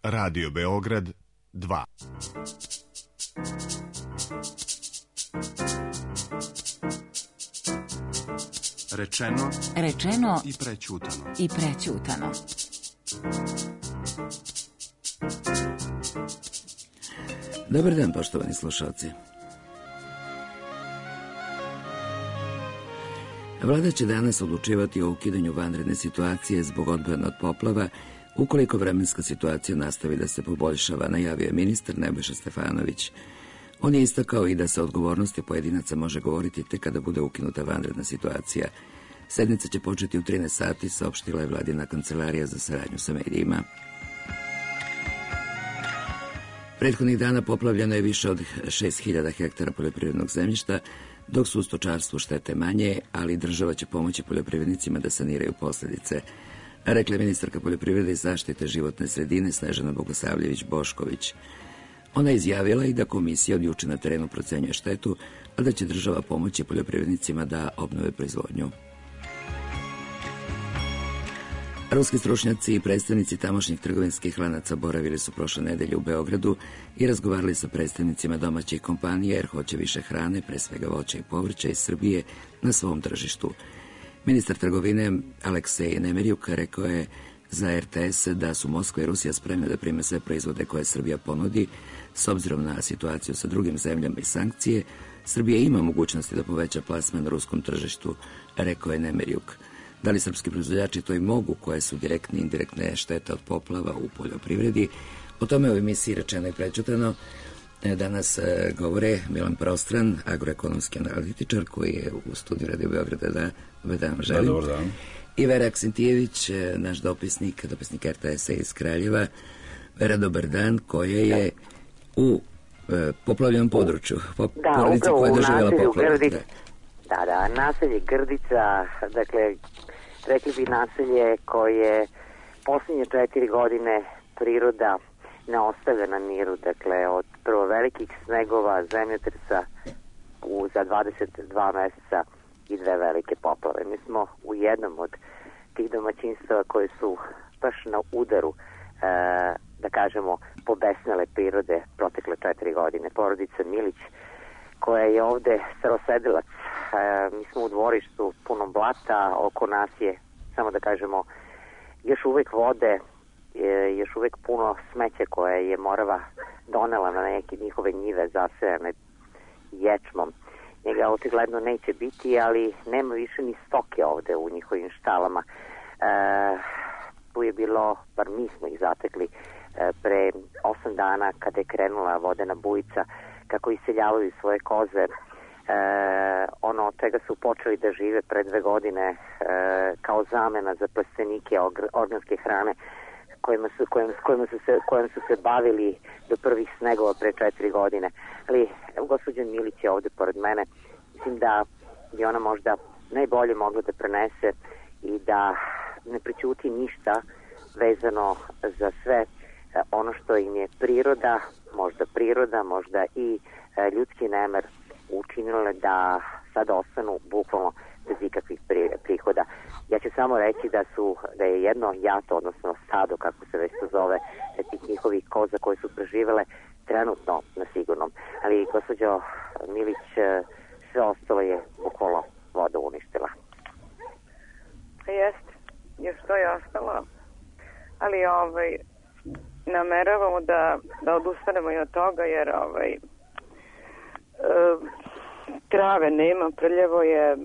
Radio Beograd 2. Rečeno i prećutano. Dobar dan, poštovani slušalci. Vlada će danas odlučivati o ukidanju vanredne situacije zbog odbrane od poplava ukoliko vremenska situacija nastavi da se poboljšava, najavio je ministar Nebojša Stefanović. On je istakao i da se odgovornosti pojedinaca može govoriti tek kada bude ukinuta vanredna situacija. Sednica će početi u 13 sati, saopštila je vladina kancelarija za saradnju sa medijima. Prethodnih dana poplavljeno je više od 6.000 hektara poljoprivrednog zemljišta, dok su u stočarstvu štete manje, ali država će pomoći poljoprivrednicima da saniraju posljedice, rekla je ministarka poljoprivrede i zaštite životne sredine Snežana Bogosavljević-Bošković. Ona je izjavila i da komisija od juče na terenu procenjuje štetu, a da će država pomoći poljoprivrednicima da obnove proizvodnju. Ruski stručnjaci i predstavnici tamošnjih trgovinskih lanaca boravili su prošle nedelje u Beogradu i razgovarali sa predstavnicima domaćih kompanija jer hoće više hrane, pre svega voća i povrća iz Srbije, na svom tržištu. Ministar trgovine Aleksej Nemerjuk rekao je za RTS da su Moskva i Rusija spremne da prime sve proizvode koje Srbija ponudi. S obzirom na situaciju sa drugim zemljama i sankcije, Srbija ima mogućnosti da poveća plasman na ruskom tržištu, rekao je Nemerjuk. Da li srpski proizvođači to i mogu, koje su direktne i indirektne štete od poplava u poljoprivredi? O tome u emisiji Rečeno i prećutano danas govore Milan Prostran, agroekonomski analitičar koji je u studiju Radio Beograda. Dobar dan, želim. Dobar dan. I Vera Aksentijević, naš dopisnik RTS-a iz Kraljeva. Vera, dobar dan, koja je u poplavljenom području, porodici koja je doživjela poplavu. Da, naselje Grdica, dakle, rekli bi naselje koje posljednje 4 godine priroda ne ostavlja na miru, dakle, od prvo velikih snegova, zemljotresa za 22 meseca i 2 velike poplave. Mi smo u jednom od tih domaćinstava koje su baš na udaru, da kažemo, pobesnele prirode protekle 4 godine. Porodica Milić, koja je ovde starosedilac. Mi smo u dvorištu punom blata, oko nas je, samo da kažemo, još uvek vode, još uvek puno smeća koje je Morava donela na neke njihove njive zasejane ječmom. Njega očigledno neće biti, ali nema više ni stoke ovde u njihovim štalama. Tu je bilo, bar mi smo ih zatekli, pre 8 dana kada je krenula vodena bujica, kako iseljavaju svoje koze, ono od čega su počeli da žive pre 2 godine kao zamena za plastenike organske hrane kojima su se bavili do prvih snegova pre 4 godine. Ali gospođa Milić je ovde pored mene. Mislim da je ona možda najbolje mogla da prenese i da ne prećuti ništa vezano za sve ono što im je priroda, možda i ljudski nemer učinile da sad ostanu bukvalno bez ikakvih prihoda. Ja ću samo reći da je jedno jato, odnosno stado, kako se već to zove, tih njihovih koza koje su preživele trenutno na sigurnom. Ali gospođo Milić, sve ostalo je bukvalno voda uništila. Jeste, još to je ostalo. Ali nameravamo da odustanemo i od toga, jer trave nema, prljavo je,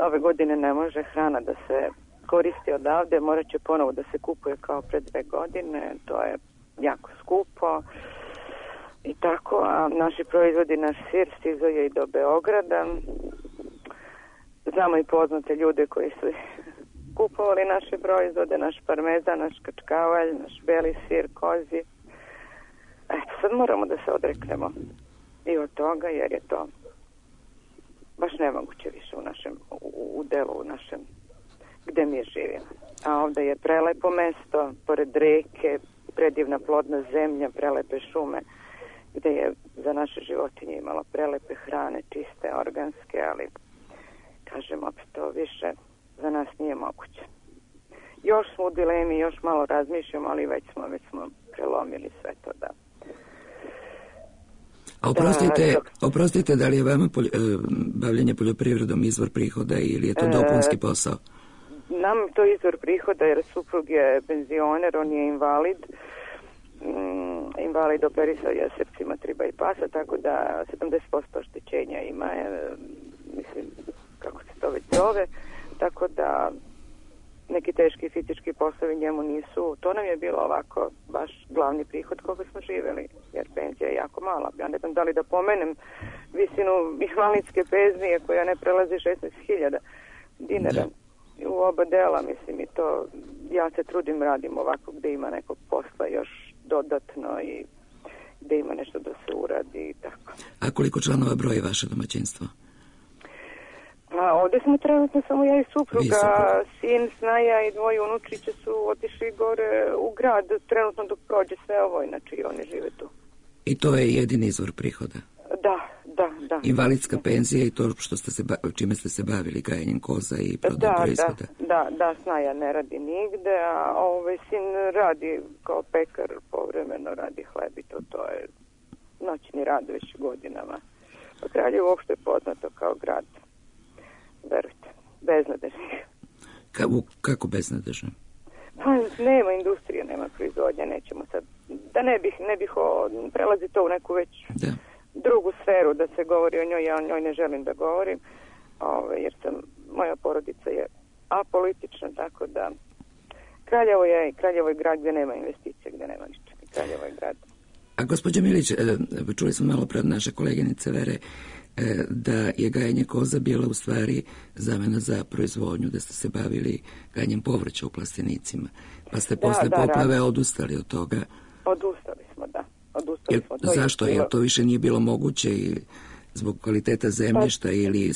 ove godine ne može hrana da se koristi odavde, morat će ponovo da se kupuje kao pre 2 godine, to je jako skupo i tako, a naši proizvodi, naš sir stizao je i do Beograda. Znamo i poznate ljude koji su kupovali naše proizvode, naš parmezan, naš kačkavalj, naš beli sir, kozi. Eto, sad moramo da se odreknemo i od toga, jer je to baš nemoguće više u delu našem gde mi živimo. A ovde je prelepo mesto, pored reke, predivna plodna zemlja, prelepe šume, gde je za naše životinje imalo prelepe hrane, čiste, organske, ali kažem opet, to više za nas nije moguće. još smo u dilemi, još malo razmišljamo, ali već smo prelomili sve to, da. A oprostite, da li je vama bavljenje poljoprivredom izvor prihoda ili je to dopunski posao? Nam to izvor prihoda jer suprug je penzioner, on je invalid. Invalid operisao je srcima triba i pasa, tako da 70% oštećenja ima, mislim, kako se to već zove, tako da neki teški fizički poslovi njemu nisu, to nam je bilo ovako baš glavni prihod koga smo živjeli, jer penzija je jako mala. Ja ne znam da li da pomenem visinu invalidske penzije koja ne prelazi 16.000 dinara u oba dela, mislim, i to ja se trudim, radim ovako gde ima nekog posla još dodatno i gde ima nešto da se uradi i tako. A koliko članova broji vaše domaćinstvo? Pa ovdje smo trenutno samo ja i supruga, sin, snaja i dvoje unučića su otišli gore u grad trenutno dok prođe sve ovo, inače i oni žive tu. I to je jedini izvor prihoda? Da. Invalidska penzija i to što čime ste se bavili, gajenjem koza i prodajom proizvoda? Da, snaja ne radi nigde, a sin radi kao pekar, povremeno radi hleb i to je noćni rad već godinama. Pa Kraljevo uopšte je poznato kao grad, verujte, beznadežnih. Kako beznadežno? Pa nema industrije, nema proizvodnja, nećemo sad, da ne bih prelazi to u neku već drugu sferu da se govori o njoj, ja o njoj ne želim da govorim, jer moja porodica je apolitična, tako da Kraljevo je grad gdje nema investicije, gdje nema ničega. Kraljevo je grad. A gospođa Milić, čuli smo malo pre od naše koleginice Vere da je gajenje koza bila u stvari zamena za proizvodnju, da ste se bavili gajenjem povrća u plastenicima, pa ste posle poplave odustali od toga. Odustali smo, da. Zašto? Jer to više nije bilo moguće i zbog kvaliteta zemljišta ili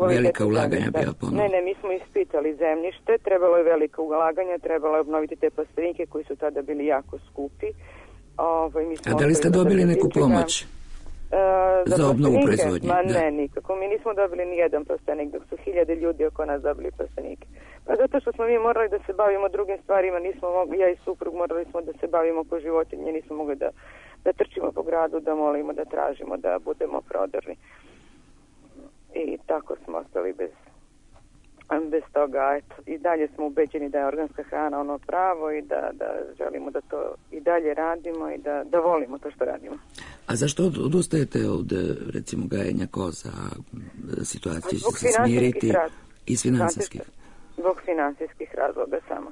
velika ulaganja bila ponovno? Ne, mi smo ispitali zemljište, trebalo je velika ulaganja, trebalo je obnoviti te plastenike koji su tada bili jako skupi. A da li ste dobili neku pomoć za obnovu proizvodnje? Ne, nikako. Mi nismo dobili ni jedan plastenik, dok su 1000 ljudi oko nas dobili plastenike. Pa zato što smo mi morali da se bavimo drugim stvarima, ja i suprug morali smo da se bavimo po životinje, nismo mogli da trčimo po gradu, da molimo, da tražimo, da budemo prodorni. I tako smo ostali bez toga. Eto, i dalje smo ubeđeni da je organska hrana ono pravo i da želimo da to i dalje radimo i da volimo to što radimo. A zašto odustajete od, recimo, gajenja koza? Situacija će se smiriti iz finansijskih? Zbog finansijskih razloga samo.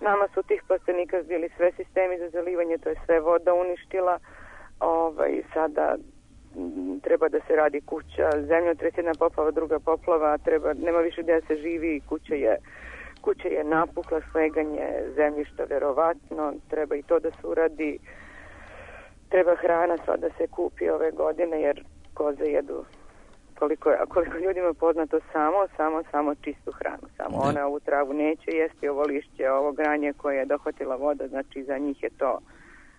Nama su tih plastenika bili sve sistemi za zalivanje, to je sve voda uništila. Sada treba da se radi kuća, zemljotres, jedna poplava, druga poplava, nema više gdje se živi, kuća je napukla, sleganje zemljišta verovatno, treba i to da se uradi, treba hrana sva da se kupi ove godine jer koze jedu koliko ljudima poznato samo čistu hranu, samo ona ovu travu neće jesti, ovo lišće, ovo granje koje je dohvatila voda, znači za njih je to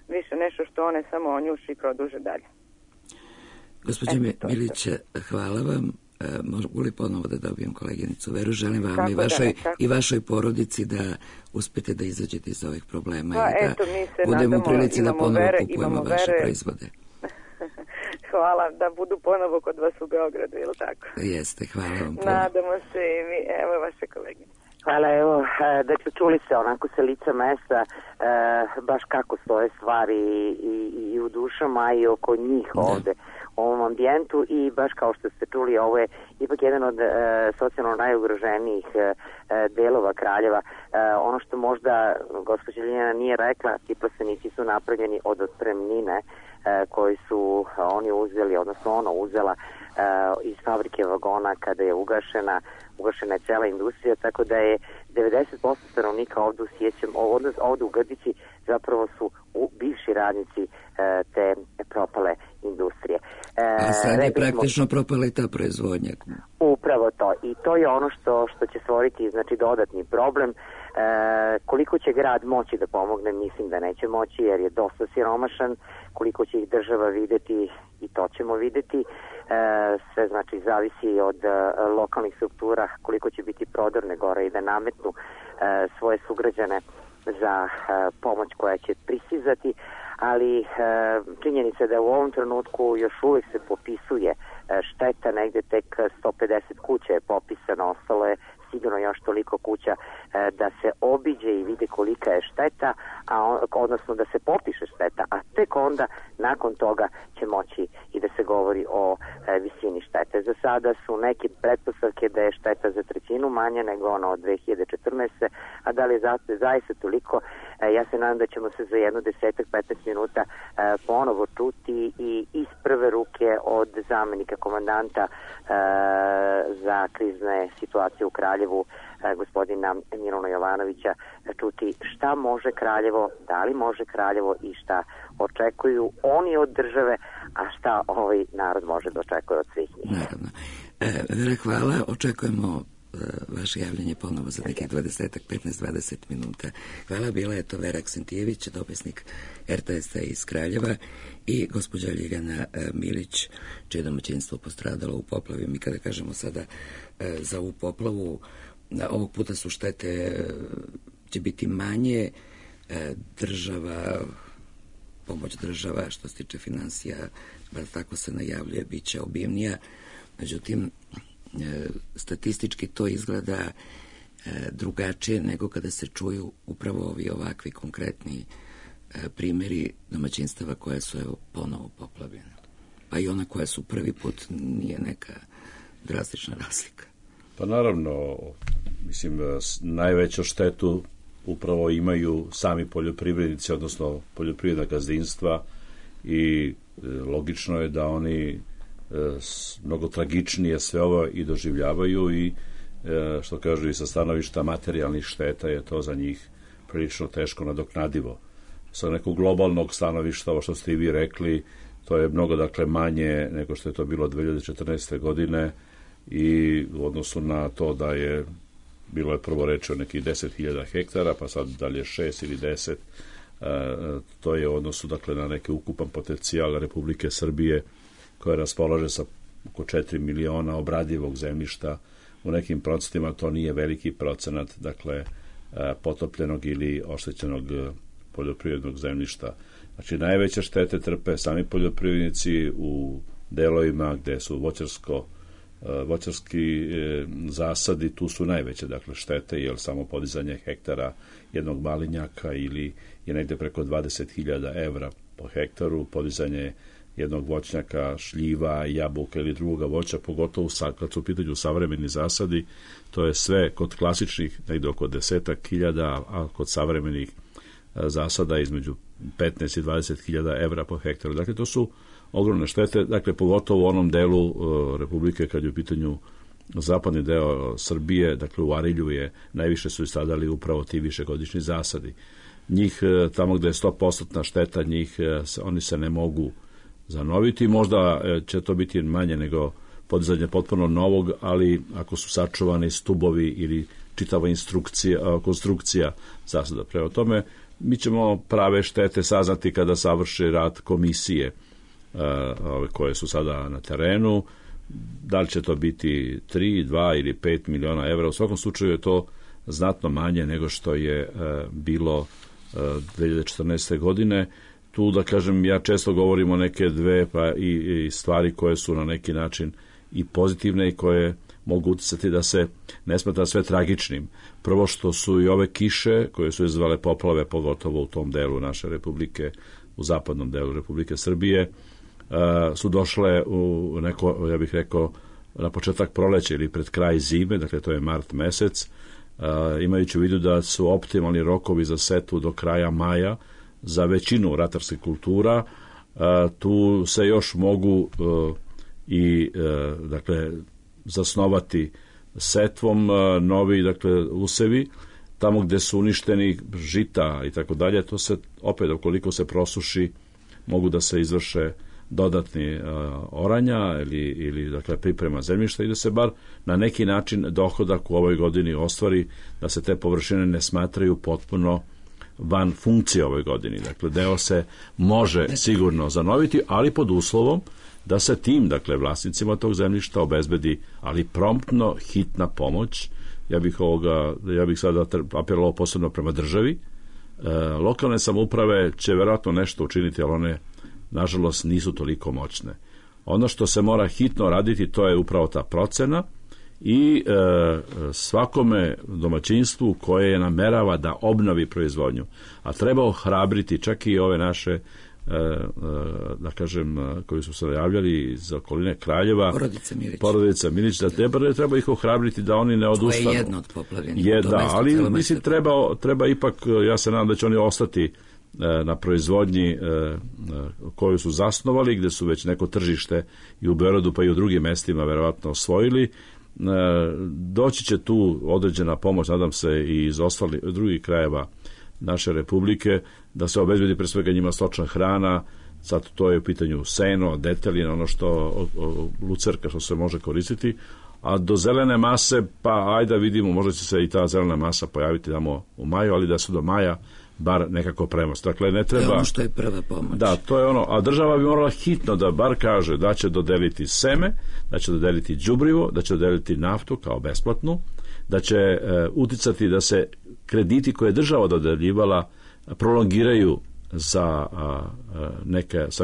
više nešto što one samo onjuši i produže dalje. Gospođo Milić, hvala vam. Mogu li ponovo da dobijem koleginicu Veru? Želim vam i vašoj porodici da uspete da izađete iz ovih problema i da budemo u prilici da ponovo kupujemo vaše proizvode. Hvala, da budu ponovo kod vas u Beogradu, ili tako? Jeste, hvala vam. Nadamo se i mi, evo vaše koleginice. Hvala, evo, dakle, čuli se onako sa lica mesta baš kako stoje stvari i u dušama i oko njih ovde u ovom ambijentu i baš kao što ste čuli, ovo je ipak jedan od socijalno najugroženijih delova Kraljeva. Ono što možda gospođa Ljiljana nije rekla, ti plastenici su napravljeni od otpremnine koji su oni uzeli, odnosno ona uzela iz fabrike vagona kada je ugašena je cela industrija, tako da je 90% stanovnika ovdje ovdje u Grdići zapravo su bivši radnici te propale industrije. A sad je praktično propala i ta proizvodnja. Upravo to. I to je ono što će stvoriti, znači, dodatni problem. Koliko će grad moći da pomogne, mislim da neće moći jer je dosta siromašan. Koliko će ih država videti, i to ćemo videti. Sve, znači, zavisi od lokalnih struktura, koliko će biti prodorne gore i da nametnu svoje sugrađane za pomoć koja će pristizati, ali činjenica da u ovom trenutku još uvijek se popisuje šteta, negde tek 150 kuća je popisano, ostalo je sigurno još toliko kuća da se obiđe i vide kolika je šteta, odnosno da se popiše šteta, a tek onda nakon toga će moći i da se govori o visini štete. Za sada su neke pretpostavke da je šteta za trećinu manja nego ono od 2014. A da li je zaista toliko, ja se nadam da ćemo se za 10-15 minuta ponovo čuti i iz prve ruke od zamenika komandanta za krizne situacije u Kraljevu, gospodina Milana Jovanovića, čuti šta može Kraljevo, da li može Kraljevo i šta očekuju oni od države, a šta ovaj narod može da očekuje od svih njih. Naravno. Vera, hvala. Očekujemo vaše javljanje ponovo za nekih 15-20 minuta. Hvala, bila je to Vera Aksentijević, dopisnik RTS-a iz Kraljeva, i gospođa Ljiljana Milić, čije domaćinstvo postradalo u poplavi. Mi kada kažemo sada za ovu poplavu, ovog puta su štete će biti manje, pomoć država što se tiče finansija, bar tako se najavljuje, bit će obimnija. Međutim, statistički to izgleda drugačije nego kada se čuju upravo ovi ovakvi konkretni primjeri domaćinstava koja su ponovo poplavljene. Pa i ona koja su prvi put nije neka drastična razlika. Pa naravno, mislim, najveću štetu upravo imaju sami poljoprivrednici, odnosno poljoprivredna gazdinstva, i logično je da oni mnogo tragičnije sve ovo i doživljavaju, i što kažu i sa stanovišta materijalnih šteta je to za njih prilično teško nadoknadivo. Sa nekog globalnog stanovišta, ovo što ste i vi rekli, to je mnogo manje nego što je to bilo 2014. godine, i u odnosu na to da je bilo je prvo reči o nekih 10.000 hektara, pa sad dalje 6 ili 10, to je u odnosu na neki ukupan potencijal Republike Srbije, koja raspolaže sa oko 4 miliona obradivog zemljišta. U nekim procentima to nije veliki procenat, potopljenog ili oštećenog poljoprivrednog zemljišta. Znači, najveće štete trpe sami poljoprivrednici u delovima gde su voćarski zasadi, tu su najveće štete, jer samo podizanje hektara jednog malinjaka ili je negde preko 20.000 evra po hektaru, podizanje jednog voćnjaka, šljiva, jabuka ili drugoga voća, pogotovo kad su u pitanju savremeni zasadi, to je sve kod klasičnih negde oko 10.000, a kod savremenih zasada između 15 i 20.000 evra po hektaru. Dakle, to su ogromne štete, pogotovo u onom delu Republike kad je u pitanju zapadni deo Srbije, u Arilju najviše su stradali upravo ti višegodišnji zasadi. Njih, tamo gde je 100% šteta, oni se ne mogu zanoviti, možda će to biti manje nego podizanje potpuno novog, ali ako su sačuvani stubovi ili čitava konstrukcija zasada. Prema tome, mi ćemo prave štete saznati kada završi rad komisije koje su sada na terenu. Da li će to biti 3, 2 ili 5 miliona evra, u svakom slučaju je to znatno manje nego što je bilo 2014. godine. Tu, ja često govorim o neke dve i stvari koje su na neki način i pozitivne i koje mogu uticati da se ne smatra sve tragičnim. Prvo, što su i ove kiše koje su izazvale poplave, pogotovo u tom delu naše republike, u zapadnom delu Republike Srbije, su došle u neko, ja bih rekao, na početak proleća ili pred kraj zime, to je mart mesec, imajući u vidu da su optimalni rokovi za setvu do kraja maja za većinu ratarskih kultura. Tu se još mogu zasnovati setvom novi usevi, tamo gde su uništeni žita i tako dalje, to se opet, ukoliko se prosuši, mogu da se izvrše dodatni oranja ili priprema zemljišta i da se bar na neki način dohodak u ovoj godini ostvari, da se te površine ne smatraju potpuno van funkcije ovoj godini. Deo se može sigurno zanoviti, ali pod uslovom da se tim, vlasnicima tog zemljišta obezbedi, ali promptno hitna pomoć ja bih sada apelovao posebno prema državi. Lokalne samouprave će verovatno nešto učiniti, ali one, nažalost, nisu toliko moćne. Ono što se mora hitno raditi, to je upravo ta procena i svakome domaćinstvu koje namerava da obnovi proizvodnju, a treba ohrabriti čak i ove naše da kažem, koji su se javljali iz okoline Kraljeva, porodica Milić, da treba ih ohrabriti da oni ne odustanu. To je jedno od poplavljenih. Ali mislim treba ipak, ja se nadam da će oni ostati na proizvodnji koju su zasnovali, gde su već neko tržište i u Beogradu pa i u drugim mestima verovatno osvojili. Doći će tu određena pomoć, nadam se, i iz ostalih drugih krajeva naše republike, da se obezbedi pre svega njima stočna hrana. Sad to je u pitanju seno, detelin, ono što lucerka što se može koristiti, a do zelene mase, pa ajde vidimo, možda će se i ta zelena masa pojaviti tamo u maju, ali da se do maja bar nekako premost. Dakle, ne treba... To je ono što je prva pomoć. Da, to je ono, a država bi morala hitno da bar kaže da će dodeliti seme, da će dodeliti đubrivo, da će dodeliti naftu kao besplatnu, da će uticati da se krediti koje je država dodeljivala prolongiraju sa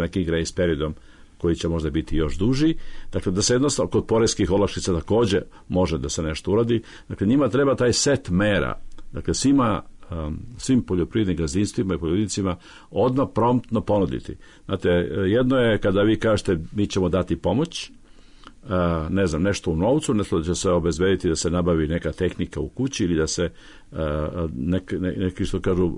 nekim grace periodom koji će možda biti još duži. Dakle, da se jednostavno kod poreskih olakšica takođe može da se nešto uradi. Dakle, njima treba taj set mera. Dakle, svim poljoprivrednim gazdinstvima i poljoprivrednicima odmah promptno ponuditi. Znate, jedno je kada vi kažete mi ćemo dati pomoć, ne znam, nešto u novcu, nešto da će se obezbediti da se nabavi neka tehnika u kući ili da se neki što kažu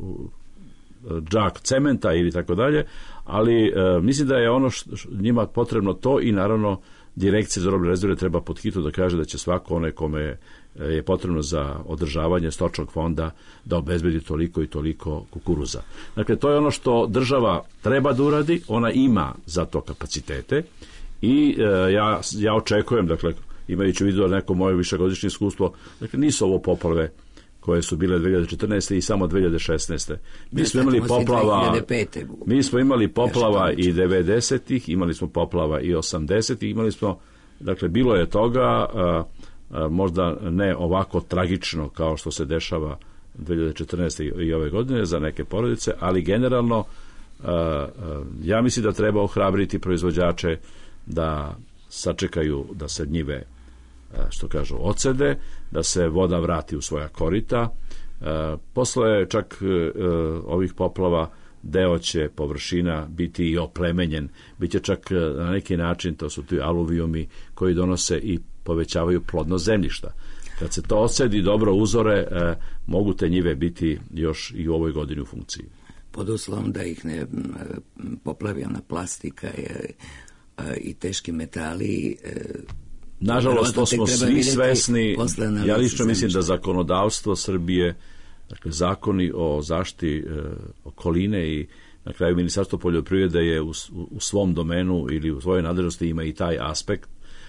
džak cementa ili tako dalje, ali mislim da je ono njima potrebno to i naravno Direkcija za robne rezerve treba pod hitno da kaže da će svako onaj kome je potrebno za održavanje stočnog fonda da obezbedi toliko i toliko kukuruza. Dakle, to je ono što država treba da uradi, ona ima za to kapacitete i ja očekujem, dakle, imajući u vidu neko moje višegodišnje iskustvo, dakle, nisu ovo poplave koje su bile 2014. i samo 2016. Mi smo imali poplava i 90-ih, imali smo poplava i 80-ih, imali smo, dakle, bilo je toga, možda ne ovako tragično kao što se dešava 2014. i ove godine za neke porodice, ali generalno ja mislim da treba ohrabriti proizvođače da sačekaju da se njive, što kažu, ocede, da se voda vrati u svoja korita. Posle čak ovih poplava deo će površina biti i oplemenjen, bit će čak na neki način, to su ti aluvijumi koji donose i povećavaju plodnost zemljišta. Kad se to ocedi dobro uzore, mogu te njive biti još i u ovoj godini u funkciji. Pod uslovom da ih ne poplavi ona plastika i teški metali. Nažalost, to smo svi svesni. Ja lično mislim da zakonodavstvo Srbije, dakle zakoni o zaštiti okoline i na kraju Ministarstvo poljoprivrede je u svom domenu ili u svojoj nadležnosti ima i taj aspekt.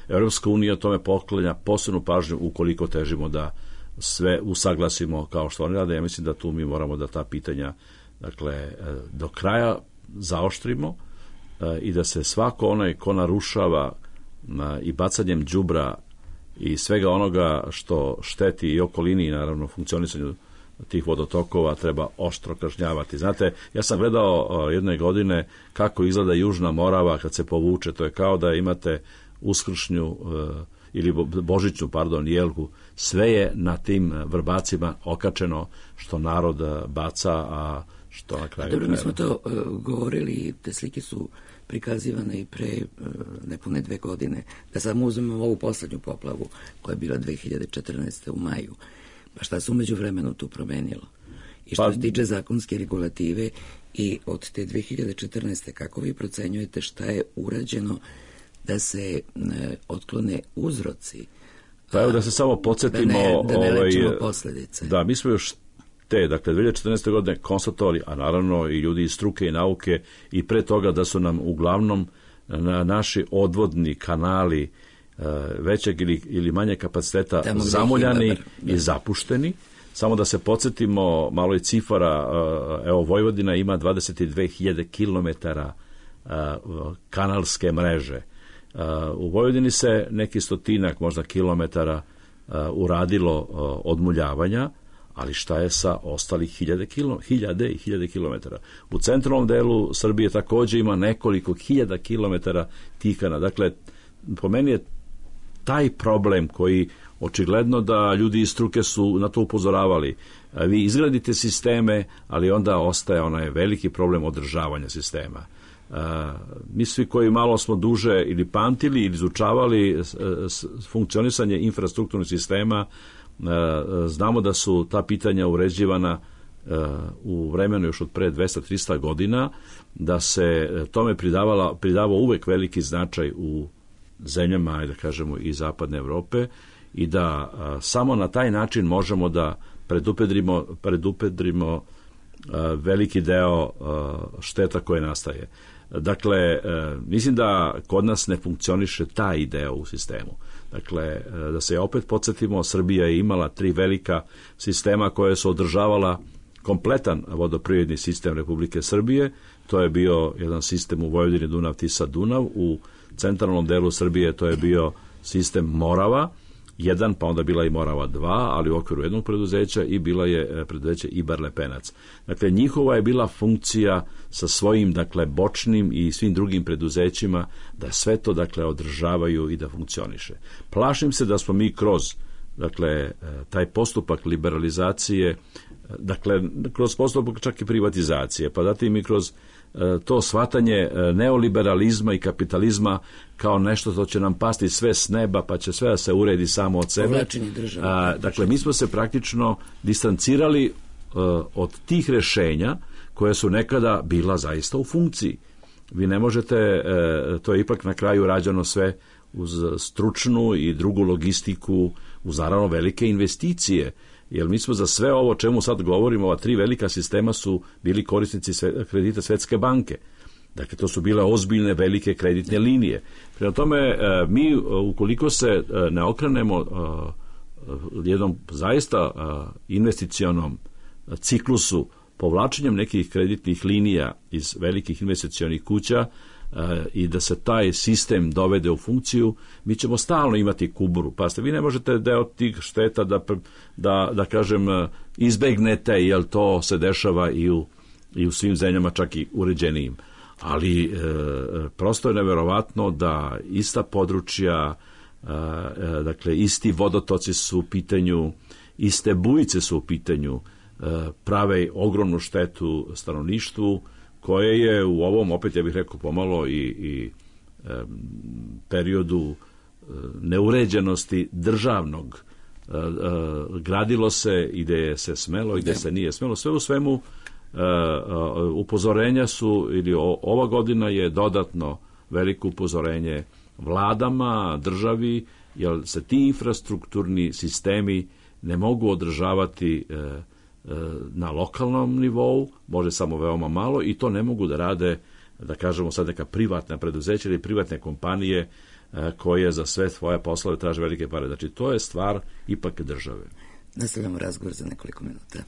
Evropska unija tome poklanja posebnu pažnju ukoliko težimo da sve usaglasimo kao što oni rade. Ja mislim da tu mi moramo da ta pitanja, dakle, do kraja zaoštrimo i da se svako onaj ko narušava i bacanjem đubra i svega onoga što šteti i okolini i naravno funkcionisanju tih vodotokova treba oštro kažnjavati. Znate, ja sam gledao jedne godine kako izgleda Južna Morava kad se povuče. To je kao da imate uskršnju ili božićnu, jelku. Sve je na tim vrbacima okačeno što narod baca, a što na kraju... Dobro, mi smo to govorili, te slike su prikazivane i pre nepune 2 godine. Da samo uzmemo ovu poslednju poplavu koja je bila 2014. u maju. Pa šta se umeđu vremenu tu promenilo? I što se tiče zakonske regulative i od te 2014. kako vi procenjujete šta je urađeno da se otklone uzroci? Pa evo da se samo podsjetimo... Da ne lečimo posledice. Da, mi smo još dakle, 2014. godine konstatovali, a naravno i ljudi iz struke i nauke i pre toga da su nam uglavnom naši odvodni kanali većeg ili manje kapaciteta zamuljani i zapušteni. Samo da se podsjetimo malo i cifara, evo Vojvodina ima 22.000 kilometara kanalske mreže. U Vojvodini se neki stotinak možda kilometara uradilo odmuljavanja, ali šta je sa ostalih hiljade i hiljade kilometara? U centralnom delu Srbije takođe ima nekoliko hiljada kilometara tikana. Dakle, po meni je taj problem koji očigledno da ljudi iz struke su na to upozoravali. Vi izgradite sisteme, ali onda ostaje onaj veliki problem održavanja sistema. Mi svi koji malo smo duže ili pamtili ili izučavali funkcionisanje infrastrukturnih sistema, znamo da su ta pitanja uređivana u vremenu još od pre 200-300 godina, da se tome pridavao uvek veliki značaj u zemljama, da kažemo, i zapadne Evrope, i da samo na taj način možemo da predupedrimo veliki deo šteta koje nastaje. Dakle, mislim da kod nas ne funkcioniše ta ideja u sistemu. Dakle, da se opet podsjetimo, Srbija je imala 3 velika sistema koje su održavala kompletan vodoprivredni sistem Republike Srbije. To je bio jedan sistem u Vojvodini Dunav, Tisa, Dunav. U centralnom delu Srbije to je bio sistem Morava 1, pa onda bila i Morava 2, ali u okviru jednog preduzeća, i bila je preduzeće Ibar Lepenac. Dakle, njihova je bila funkcija sa svojim, dakle, bočnim i svim drugim preduzećima da sve to, dakle, održavaju i da funkcioniše. Plašim se da smo mi kroz, dakle, taj postupak liberalizacije, dakle, kroz postupak čak i privatizacije, pa zatim i kroz to shvatanje neoliberalizma i kapitalizma kao nešto što će nam pasti sve s neba, pa će sve da se uredi samo od sebe. Dakle, mi smo se praktično distancirali od tih rešenja koje su nekada bila zaista u funkciji. Vi ne možete, to je ipak na kraju rađeno sve uz stručnu i drugu logistiku, uz naravno velike investicije, jer mi smo za sve ovo čemu sad govorimo, ova 3 velika sistema su bili korisnici kredita Svetske banke. Dakle, to su bile ozbiljne velike kreditne linije. Prema tome, mi ukoliko se ne okrenemo jednom zaista investicionom ciklusu, povlačenjem nekih kreditnih linija iz velikih investicionih kuća, i da se taj sistem dovede u funkciju, mi ćemo stalno imati kuburu. Pa vi ne možete deo tih šteta da kažem, izbegnete, jer to se dešava i u svim zemljama, čak i uređenijim. Ali prosto je neverovatno da ista područja, dakle, isti vodotoci su u pitanju, iste bujice su u pitanju, prave ogromnu štetu stanovništvu, koje je u ovom, opet ja bih rekao, pomalo i periodu neuređenosti državnog, gradilo se i gde se smelo i gde se nije smelo. Sve u svemu upozorenja su, ili ova godina je dodatno veliko upozorenje vladama, državi, jer se ti infrastrukturni sistemi ne mogu održavati na lokalnom nivou, može samo veoma malo, i to ne mogu da rade, da kažemo sad, neka privatna preduzeća ili privatne kompanije koje za sve svoje poslove traže velike pare. Znači, to je stvar ipak države. Nastavljamo razgovor za nekoliko minuta.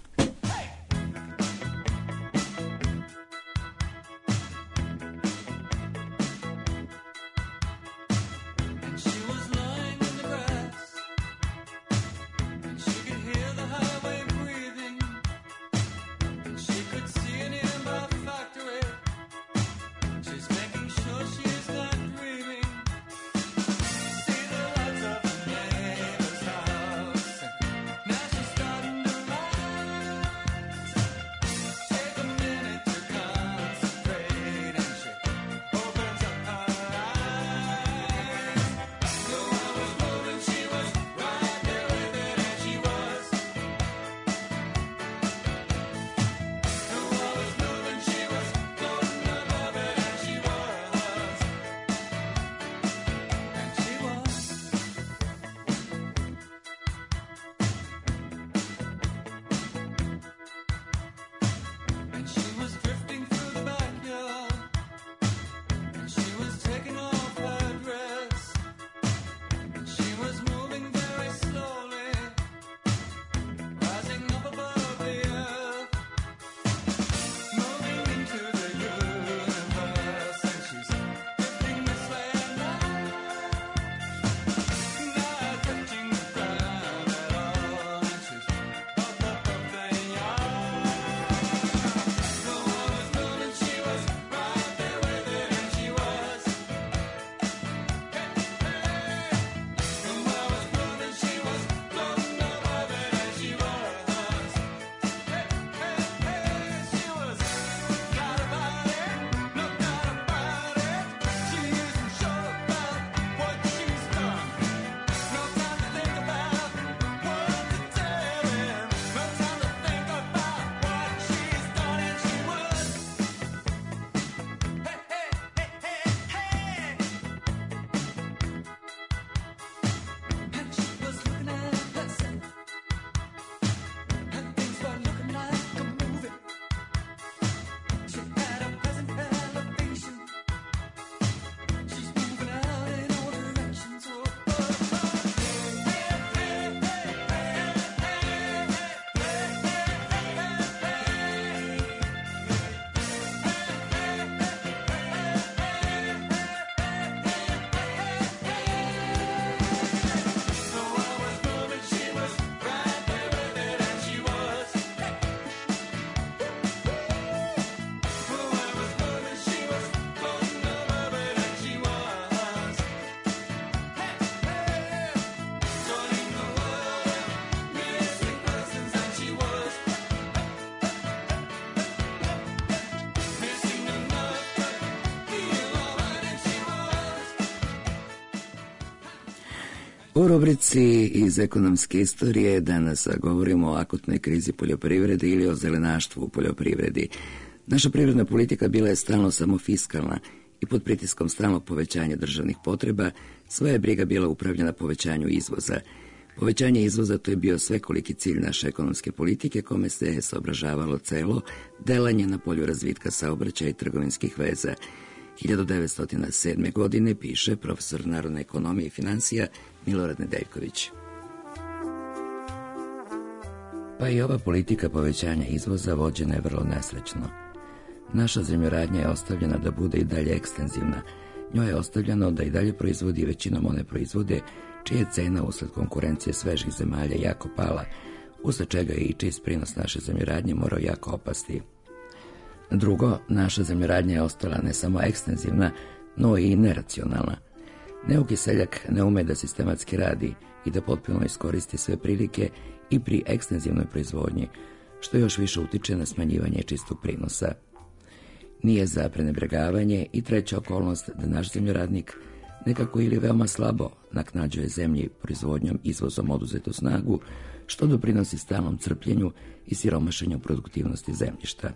U rubrici iz ekonomske istorije danas govorimo o akutnoj krizi poljoprivrede ili o zelenaštvu u poljoprivredi. Naša privredna politika bila je stalno samo fiskalna i pod pritiskom stalnog povećanja državnih potreba sva je briga bila upravljena povećanju izvoza. Povećanje izvoza to je bio svekoliki cilj naše ekonomske politike kome se saobražavalo celo delanje na polju razvitka saobraćaja i trgovinskih veza. 1907. godine piše profesor narodne ekonomije i financija Milorad Nedeljković. Pa i ova politika povećanja izvoza vođena je vrlo nesrećno. Naša zemljoradnja je ostavljena da bude i dalje ekstenzivna. Njoj je ostavljeno da i dalje proizvodi većinom one proizvode čija je cena usled konkurencije svežih zemalja jako pala, usled čega je i čist prinos naše zemljoradnje morao jako opasti. Drugo, naša zemljoradnja je ostala ne samo ekstenzivna, no i neracionalna. Neuki seljak ne ume da sistematski radi i da potpuno iskoristi sve prilike i pri ekstenzivnoj proizvodnji, što još više utiče na smanjivanje čistog prinosa. Nije za prenebregavanje i treća okolnost da naš zemljoradnik nekako ili veoma slabo naknađuje zemlji proizvodnjom izvozom oduzetu snagu, što doprinosi stalnom crpljenju i siromašenju produktivnosti zemljišta.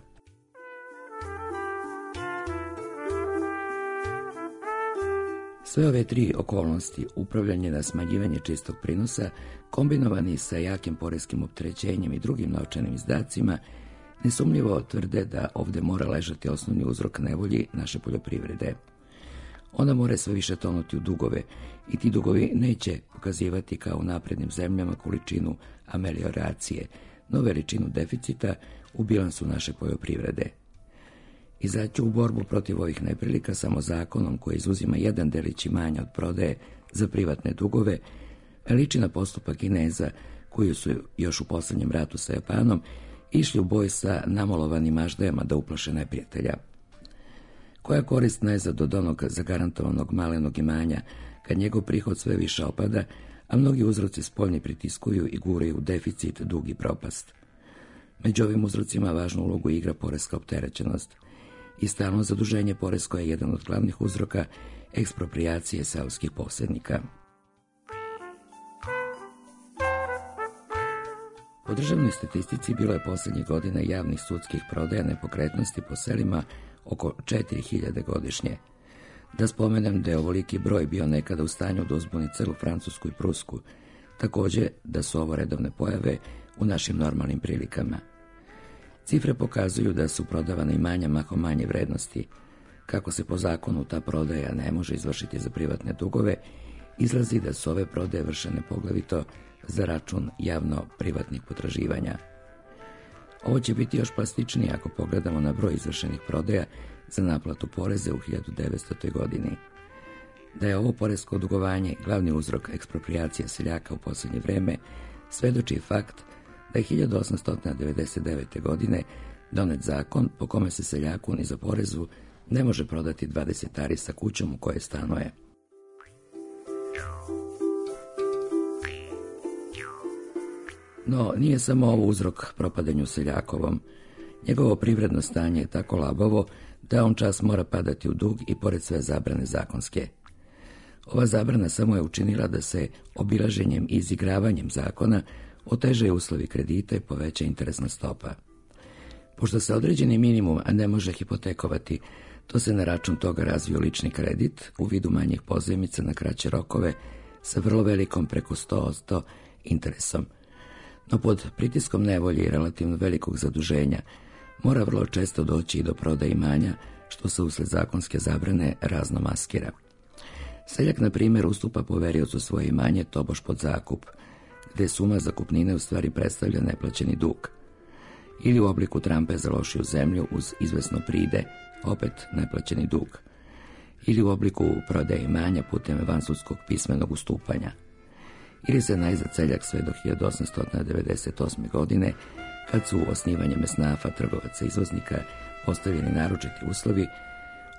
Sve ove tri okolnosti, upravljanje na smanjivanje čistog prinosa, kombinovani sa jakim poreskim opterećenjem i drugim novčanim izdacima, nesumnjivo tvrde da ovde mora ležati osnovni uzrok nevolji naše poljoprivrede. Ona mora sve više tonuti u dugove i ti dugovi neće pokazivati kao u naprednim zemljama količinu amelioracije, no veličinu deficita u bilansu naše poljoprivrede. Izaći u borbu protiv ovih neprilika samo zakonom koji izuzima jedan delić imanja od prodaje za privatne dugove, liči na postupak Kineza koji su još u poslednjem ratu sa Japanom išli u boj sa namolovanim maždajama da uplaše neprijatelja. Koja korist najzad od onog zagarantovanog malenog imanja kad njegov prihod sve više opada, a mnogi uzroci spoljni pritiskuju i guraju u deficit, dug i propast. Među ovim uzrocima važnu ulogu igra poreska opterećenost i stalno zaduženje poresko je jedan od glavnih uzroka eksproprijacije seoskih posjednika. Po državnoj statistici bilo je posljednjih godina javnih sudskih prodaja nepokretnosti po selima oko 4000 godišnje. Da spomenem da je ovoliki broj bio nekada u stanju da uzbuni celu Francusku i Prusku, također da su ovo redovne pojave u našim normalnim prilikama. Cifre pokazuju da su prodavana imanja mahom manje vrednosti. Kako se po zakonu ta prodaja ne može izvršiti za privatne dugove, izlazi da su ove prodaje vršene poglavito za račun javno-privatnih potraživanja. Ovo će biti još plastičnije ako pogledamo na broj izvršenih prodaja za naplatu poreze u 1900. godini. Da je ovo poresko dugovanje glavni uzrok eksproprijacije seljaka u posljednje vreme, svedoči fakt da je 1899. godine donet zakon po kome se seljaku ni za porezu ne može prodati 20 ari sa kućom u kojoj stanuje. No, nije samo ovo uzrok propadanju seljakovom. Njegovo privredno stanje je tako labavo da on čas mora padati u dug i pored sve zabrane zakonske. Ova zabrana samo je učinila da se obilaženjem i izigravanjem zakona otežaju uslovi kredita i poveća interesna stopa. Pošto se određeni minimum ne može hipotekovati, to se na račun toga razvio lični kredit u vidu manjih pozajmica na kraće rokove sa vrlo velikom preko 100% interesom. No pod pritiskom nevolje i relativno velikog zaduženja mora vrlo često doći i do prodaje imanja, što se usled zakonske zabrane razno maskira. Seljak, na primjer, ustupa poveriocu svoje imanje tobož pod zakup, gde suma zakupnine u stvari predstavlja neplaćeni dug. Ili u obliku trampe za lošiju zemlju uz izvesno pride, opet neplaćeni dug. Ili u obliku prodaje imanja putem vansudskog pismenog ustupanja. Ili se najzad seljak sve do 1898. godine, kad su osnivanjem esnafa, trgovaca i izvoznika postavljeni naročiti uslovi,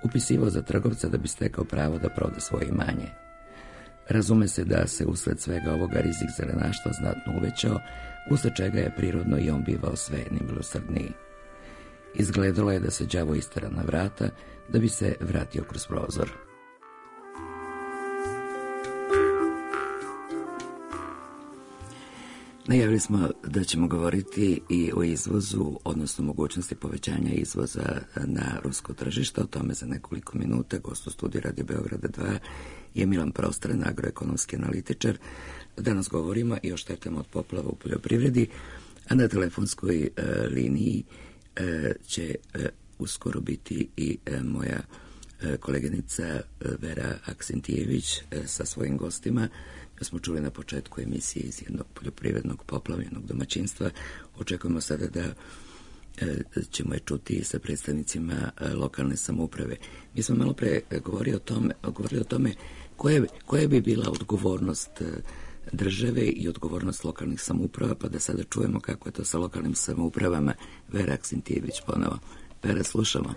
upisivao za trgovca da bi stekao pravo da proda svoje imanje. Razume se da se usled svega ovoga rizik zelenaštva znatno uvećao, usled čega je prirodno i on bivao sve nemilosrdniji. Izgledalo je da se đavo istera na vrata, da bi se vratio kroz prozor. Najavili smo da ćemo govoriti i o izvozu, odnosno mogućnosti povećanja izvoza na rusko tržište. O tome za nekoliko minuta. Gost u studiju Radio Beograda 2 je Milan Prostran, agroekonomski analitičar. Danas govorimo i o štetama od poplava u poljoprivredi, a na telefonskoj liniji će uskoro biti i moja koleginica Vera Aksentijević sa svojim gostima. Smo čuli na početku emisije iz jednog poljoprivrednog poplavljenog domaćinstva. Očekujemo sada da ćemo je čuti sa predstavnicima lokalne samouprave. Mi smo malo pre govorili o tome koja bi bila odgovornost države i odgovornost lokalnih samouprava, pa da sada čujemo kako je to sa lokalnim samoupravama. Vera Aksentijević ponovo. Vera, slušamo.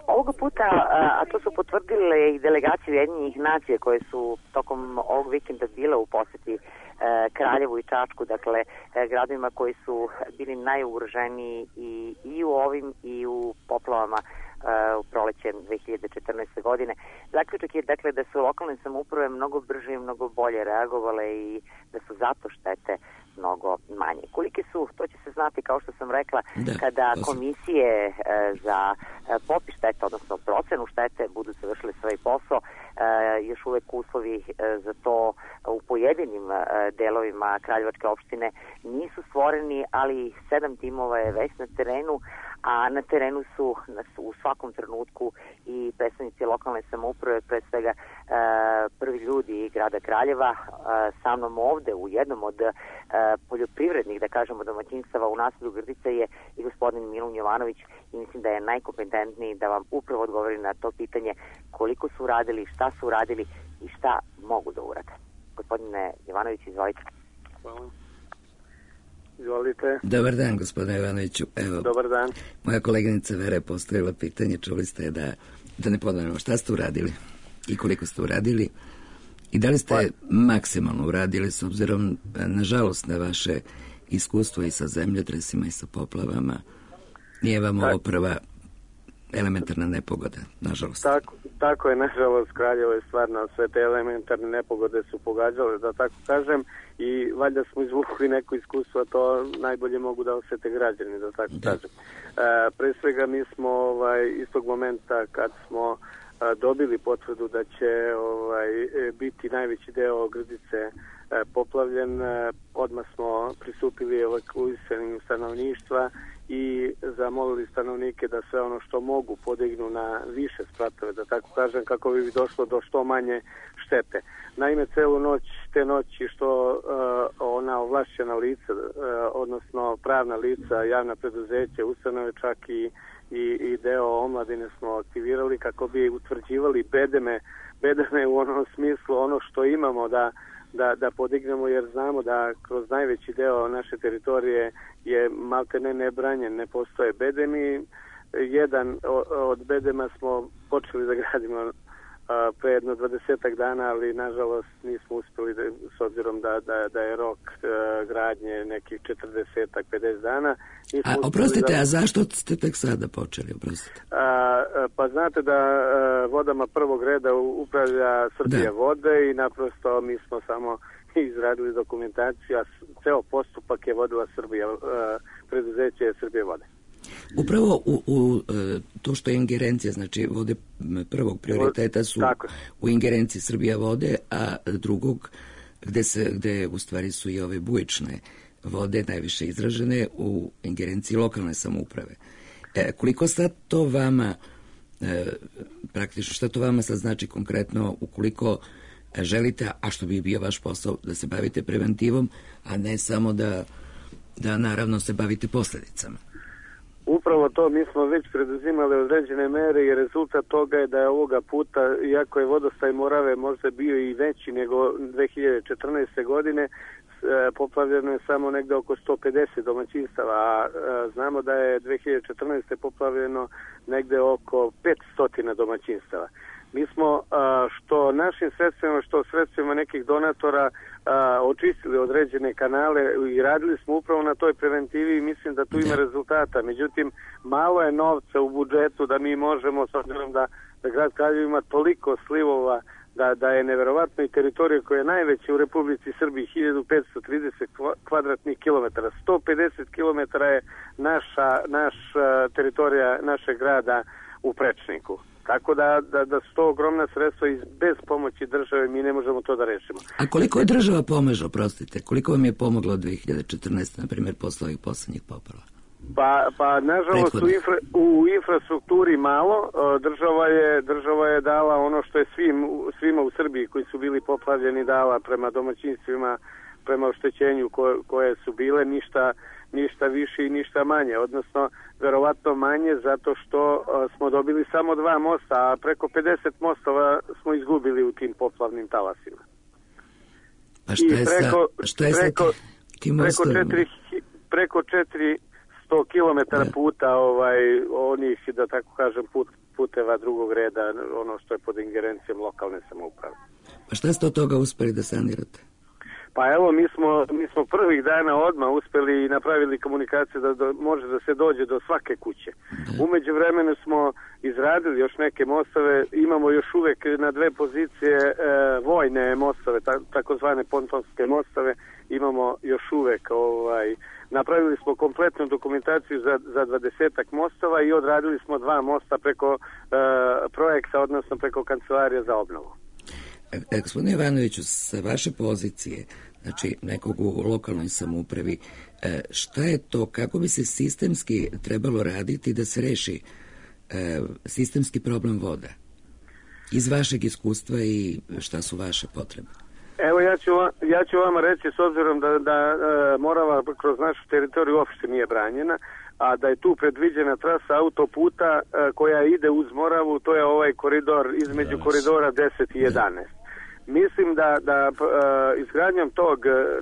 Ovoga puta, a to su potvrdile i delegacije Ujedinjenih nacija koje su tokom ovog vikenda bile u poseti Kraljevu i Čačku, dakle gradovima koji su bili najugroženiji i u ovim i u poplavama u proleće 2014. godine. Zaključak je dakle da su lokalne samouprave mnogo brže i mnogo bolje reagovale i da su zato štete mnogo manje. Kolike su, to će se znati, kao što sam rekla, kada komisije za popis štete, odnosno procenu štete, budu završile svoj posao. Još uvek uslovi za to u pojedinim delovima Kraljevačke opštine nisu stvoreni, ali 7 timova je već na terenu, a na terenu su u svakom trenutku i predstavnici lokalne samouprave, pre svega prvi ljudi grada Kraljeva. Sa mnom ovde u jednom od poljoprivrednih, da kažemo, domaćinstava u naselju Grdica je i gospodin Milun Jovanović i mislim da je najkompetentniji da vam upravo odgovori na to pitanje koliko su uradili, šta su uradili i šta mogu da urade. Gospodine Jovanović, izvolite. Hvala. Izvolite. Dobar dan, gospodine Jovanoviću. Evo, dobar dan. Moja koleginica Vera je postavila pitanje, čuli ste da ne ponovimo šta ste uradili i koliko ste uradili i da li ste maksimalno uradili s obzirom, nažalost, na vaše iskustvo i sa zemljotresima i sa poplavama. Nije vam ovo prva elementarna nepogoda, nažalost. Tako je, nažalost, Kraljevo je stvarno, sve te elementarne nepogode su pogađale, da tako kažem, i valjda smo izvukli neko iskustvo, to najbolje mogu da osete građani, da tako kažem. Pre svega mi smo istog momenta kad smo dobili potvrdu da će biti najveći deo Grdice poplavljen, odmah smo pristupili evakuisanju stanovništva i zamolili stanovnike da sve ono što mogu podignu na više spratove, da tako kažem, kako bi došlo do što manje štete. Naime, celu noć, te noći što ona ovlašćena lica, odnosno pravna lica, javna preduzeća, ustanove, čak i deo omladine smo aktivirali kako bi utvrđivali bedeme u onom smislu, ono što imamo da podignemo, jer znamo da kroz najveći deo naše teritorije je maltene nebranjen, ne postoje bedemi. Jedan od bedema smo počeli da gradimo pre jedno 20 dana, ali nažalost nismo uspeli s obzirom da je rok gradnje nekih 40-50 dana. Oprostite, a zašto ste tek sada počeli, oprostite? Pa znate da vodama prvog reda upravlja Srbija vode i naprosto mi smo samo izradili dokumentaciju, a ceo postupak je vodila preduzeće Srbije vode. Upravo u to što je ingerencija, znači vode prvog prioriteta su u ingerenciji Srbija vode, a drugog gde u stvari su i ove bujične vode najviše izražene u ingerenciji lokalne samouprave. Koliko sad to vama praktično, šta to vama sad znači konkretno ukoliko želite, a što bi bio vaš posao, da se bavite preventivom, a ne samo da naravno se bavite posledicama? Upravo to, mi smo već preduzimali određene mere i rezultat toga je da je ovoga puta, iako je vodostaj Morave možda bio i veći nego 2014. godine, poplavljeno je samo negde oko 150 domaćinstava, a znamo da je 2014. poplavljeno negde oko 500 domaćinstava. Mi smo što našim sredstvima, što sredstvima nekih donatora očistili određene kanale i radili smo upravo na toj preventivi i mislim da tu ima rezultata. Međutim, malo je novca u budžetu da mi možemo, s obzirom da grad Kraljevo ima toliko slivova, da je neverovatno i teritorija koja je najveća u Republici Srbiji, 1530 kvadratnih kilometara. 150 kilometara je naša teritorija našeg grada u Prečniku. Tako da su to ogromna sredstva i bez pomoći države mi ne možemo to da rešimo. A koliko je država pomaže, oprostite? Koliko vam je pomoglo od 2014. na primjer posle ovih poslednjih poplava? Pa nažalost u infrastrukturi malo. Država je dala ono što je svima u Srbiji koji su bili poplavljeni dala prema domaćinstvima, prema oštećenju koje su bile, ništa više i ništa manje, odnosno verovatno manje zato što smo dobili samo 2 mosta, a preko 50 mostova smo izgubili u tim poplavnim talasima. A što je sa tim mostovima? Preko 400 km puta onih, da tako kažem, puteva drugog reda, ono što je pod ingerencijom lokalne samouprave. Pa šta ste od toga uspeli da sanirate? Pa evo, mi smo prvih dana odmah uspeli i napravili komunikaciju da može da se dođe do svake kuće. Umeđu vremenu smo izradili još neke mostove, imamo još uvek na 2 pozicije vojne mostove, takozvane pontonske mostove, imamo još uvek. Napravili smo kompletnu dokumentaciju za 20 mostova i odradili smo 2 mosta preko projekta, odnosno preko Kancelarije za obnovu. Gospodine Ivanoviću, sa vaše pozicije, znači nekog u lokalnoj samoupravi, šta je to, kako bi se sistemski trebalo raditi da se reši sistemski problem voda? Iz vašeg iskustva i šta su vaše potrebe? Evo, ja ću vama reći, s obzirom da Morava kroz našu teritoriju uopšte nije branjena, a da je tu predviđena trasa autoputa koja ide uz Moravu, to je ovaj koridor između koridora 10 i 11. Mislim da izgradnjom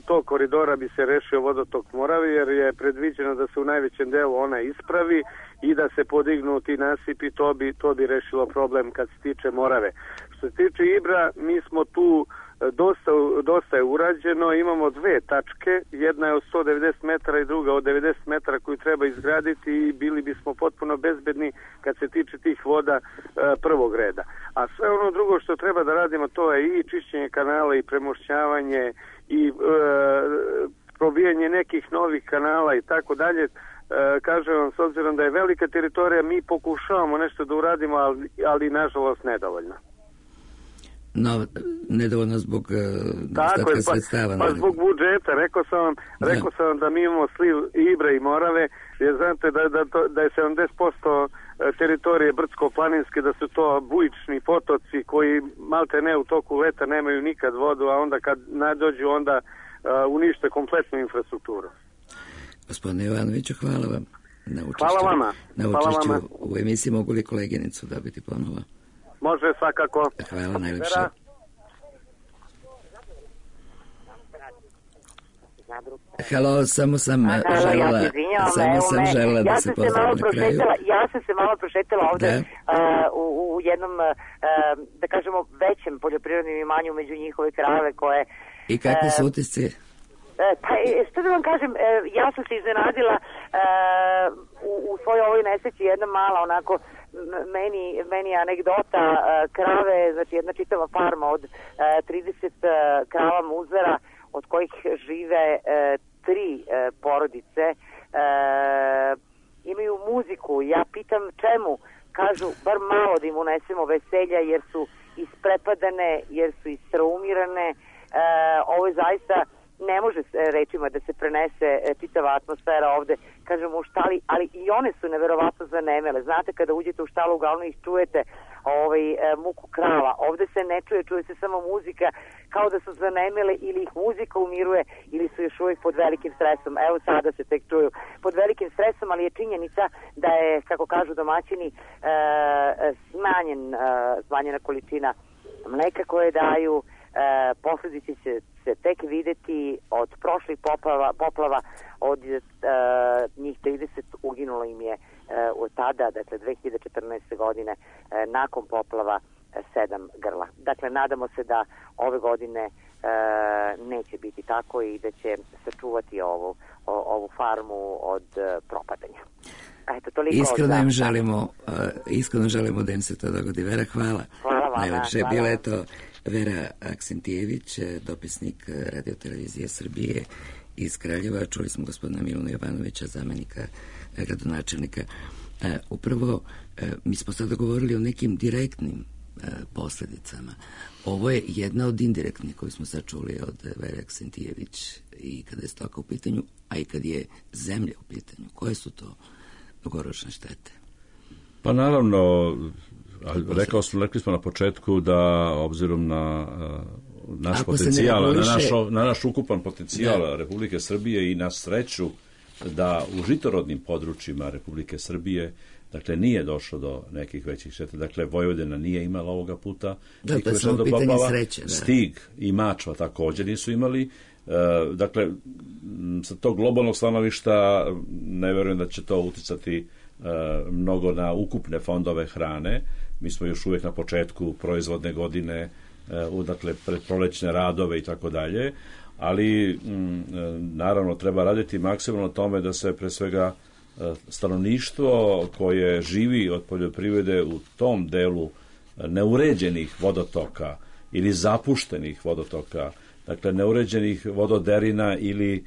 tog koridora bi se rešio vodotok Morave, jer je predviđeno da se u najvećem delu ona ispravi i da se podignu ti nasipi, to bi rešilo problem kad se tiče Morave. Što se tiče Ibra, mi smo tu dosta je urađeno, imamo 2 tačke, jedna je od 190 metara i druga od 90 metara koju treba izgraditi i bili bismo potpuno bezbedni kad se tiče tih voda prvog reda. A sve ono drugo što treba da radimo, to je i čišćenje kanala i premošćavanje i probijanje nekih novih kanala i tako dalje. Kažem vam, s obzirom da je velika teritorija, mi pokušavamo nešto da uradimo, ali nažalost nedovoljno. No, nedovoljno zbog nedostatka sredstava. Pa zbog budžeta. Rekao sam vam da mi imamo sliv Ibra i Morave, jer znate da je 70% teritorije brdsko-planinske, da su to bujični potoci koji malte ne u toku leta nemaju nikad vodu, a onda kad nadođu onda unište kompletnu infrastrukturu. Gospodine Ivanoviću, hvala vam na učešću. Hvala vama. Na učešću u emisiji. Mogu li koleginicu dobiti ponovo? Može, svakako. Hvala najlepše. Halo, samo sam želela da se pozdravim na kraju. Ja sam se malo prošetala ovde u jednom, da kažemo, većem poljoprivrednom imanju među njihove krave koje... I kakvi su utisci? Pa, što da vam kažem, ja sam se iznenadila u svojoj ovoj nesreći jedna mala onako meni anegdota krave, znači jedna čitava farma od 30 krava muzara, od kojih žive 3 porodice, imaju muziku. Ja pitam čemu, kažu bar malo da im unesemo veselja jer su isprepadane, jer su istraumirane. Ovo je zaista, ne može rečima da se prenese čitava atmosfera ovde, kažemo u štali, ali i one su neverovatno zanemele. Znate, kada uđete u štalu, uglavnom ih čujete muku krava. Ovde se ne čuje se samo muzika, kao da su zanemele, ili ih muzika umiruje, ili su još uvijek pod velikim stresom. Evo sada se tek čuju pod velikim stresom, ali je činjenica da je, kako kažu domaćini, smanjena količina mleka koje daju. Posledice će se tek videti. Od prošlih poplava od njih 30 uginulo im je od tada, dakle 2014. godine, nakon poplava 7 grla. Dakle, nadamo se da ove godine neće biti tako i da će sačuvati ovu farmu od propadanja. Eto, toliko. Iskreno želimo da im se to dogodi. Vera, hvala. Hvala vama. Najlepše je bila Vera Aksentijević, dopisnik Radio-televizije Srbije iz Kraljeva. Čuli smo gospodina Miluna Jovanovića, zamenika gradonačelnika. Upravo, mi smo sada govorili o nekim direktnim posljedicama. Ovo je jedna od indirektnih koju smo sad čuli od Vere Aksentijević i kada je stoka u pitanju, a i kad je zemlja u pitanju. Koje su to dugoročne štete? Pa naravno, rekli smo na početku da obzirom na naš potencijal, na naš ukupan potencijal Republike Srbije i na sreću da u žitorodnim područjima Republike Srbije, dakle, nije došlo do nekih većih šteta. Dakle, Vojvodina nije imala ovoga puta. Da, to je samo pitanje sreće. Da. Stig i Mačva također nisu imali. Dakle, sa tog globalnog stanovišta ne verujem da će to uticati mnogo na ukupne fondove hrane. Mi smo još uvijek na početku proizvodne godine, dakle, predprolećne radove i tako dalje, ali naravno treba raditi maksimalno tome da se pre svega stanovništvo koje živi od poljoprivrede u tom delu neuređenih vodotoka ili zapuštenih vodotoka, dakle neuređenih vododerina ili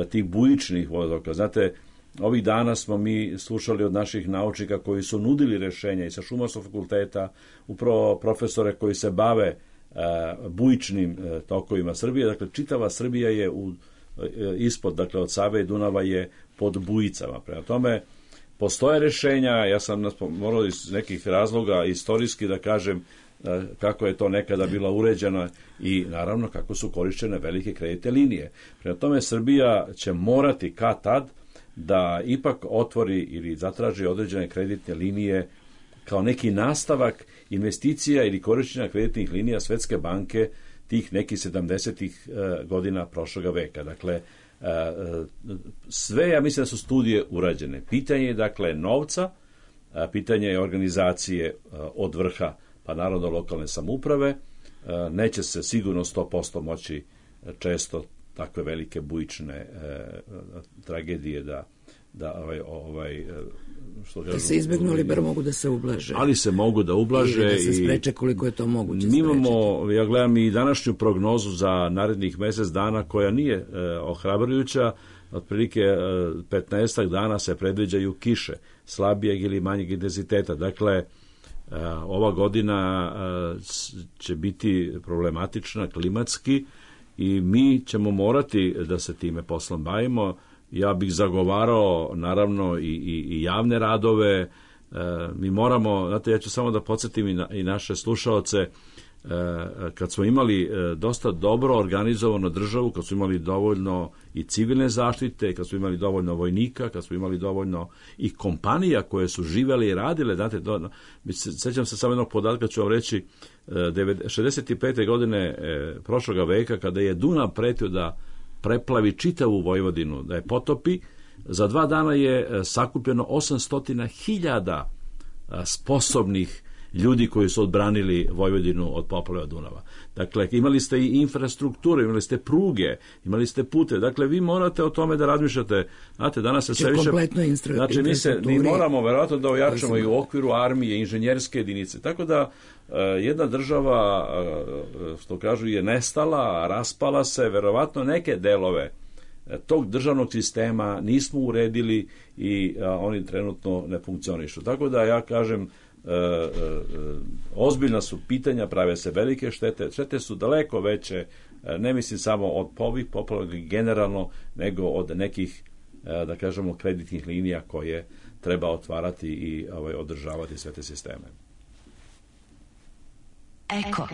tih bujičnih vodotoka. Znate, ovih dana smo mi slušali od naših naučnika koji su nudili rješenja i sa Šumarskog fakulteta, upravo profesore koji se bave bujičnim tokovima Srbije. Dakle, čitava Srbija je ispod, dakle, od Save i Dunava je pod bujicama. Prema tome, postoje rješenja, ja sam morao iz nekih razloga istorijski da kažem kako je to nekada bilo uređeno i naravno kako su korišćene velike kreditne linije. Prema tome, Srbija će morati kad tad da ipak otvori ili zatraži određene kreditne linije kao neki nastavak investicija ili korišćenja kreditnih linija Svetske banke tih nekih 70-ih godina prošloga veka. Dakle, sve, ja mislim da su studije urađene. Pitanje je, dakle, novca, pitanje je organizacije od vrha, pa naravno lokalne samouprave. Neće se sigurno 100% moći često takve velike bujične tragedije da se izbjegnu, ali bar mogu da se ublaže. Ali se mogu da ublaže i da se spreče koliko je to moguće. Mi imamo, ja gledam i današnju prognozu za narednih mjesec dana koja nije ohrabrujuća. Otprilike 15 dana se predviđaju kiše slabijeg ili manjeg intenziteta. Dakle, ova godina će biti problematična klimatski i mi ćemo morati da se time poslom bavimo. Ja bih zagovarao naravno i javne radove. Mi moramo, znate, ja ću samo da podsjetim i naše slušaoce, kad smo imali dosta dobro organizovanu državu, kad smo imali dovoljno i civilne zaštite, kad smo imali dovoljno vojnika, kad smo imali dovoljno i kompanija koje su živjele i radile, znate, sećam se samo jednog podatka, ću vam reći, 65. godine prošloga veka, kada je Dunav pretio da preplavi čitavu Vojvodinu, da je potopi, za 2 dana je sakupljeno 800.000 sposobnih ljudi koji su odbranili Vojvodinu od poplava Dunava. Dakle, imali ste i infrastrukturu, imali ste pruge, imali ste pute. Dakle, vi morate o tome da razmišljate. Znate, danas se sve više... Znači, mi moramo verovatno da ojačamo i u okviru armije, inženjerske jedinice. Tako da jedna država, što kažu, je nestala, raspala se, verovatno neke delove tog državnog sistema nismo uredili i oni trenutno ne funkcionišu. Tako da ja kažem, ozbiljna su pitanja, prave se velike štete su daleko veće, ne mislim samo od ovih poplava generalno, nego od nekih, da kažemo, kreditnih linija koje treba otvarati i održavati sve te sisteme. Eko.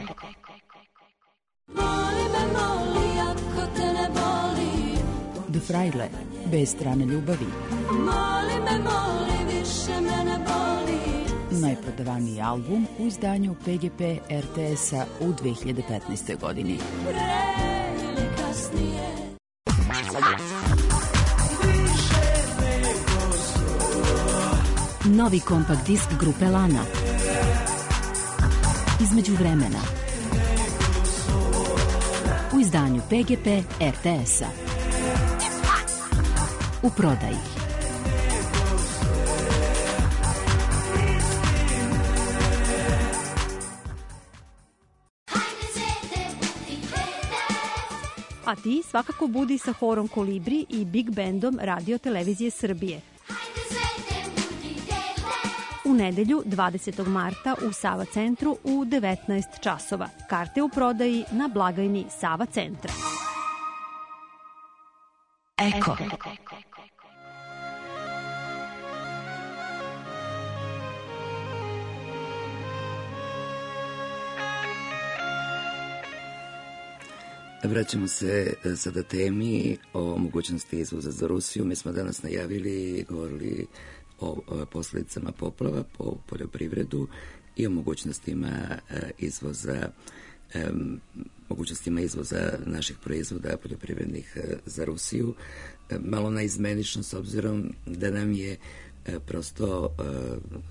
Do Frajle, bez strane ljubavi. Najprodavaniji album u izdanju PGP RTS-a u 2015. godini. Novi kompakt disk grupe Lana. Između vremena. U izdanju PGP RTS-a. U prodaji. a ti svakako budi sa horom Kolibri i Big Bandom Radio Televizije Srbije. U nedelju 20. marta u Sava centru u 19 časova. Karte u prodaji na blagajni Sava centra. Eko. Vraćamo se sada temi o mogućnosti izvoza za Rusiju. Mi smo danas najavili i govorili o posljedicama poplava po poljoprivredu i o mogućnostima izvoza naših proizvoda poljoprivrednih za Rusiju. Malo naizmenično s obzirom da nam je prosto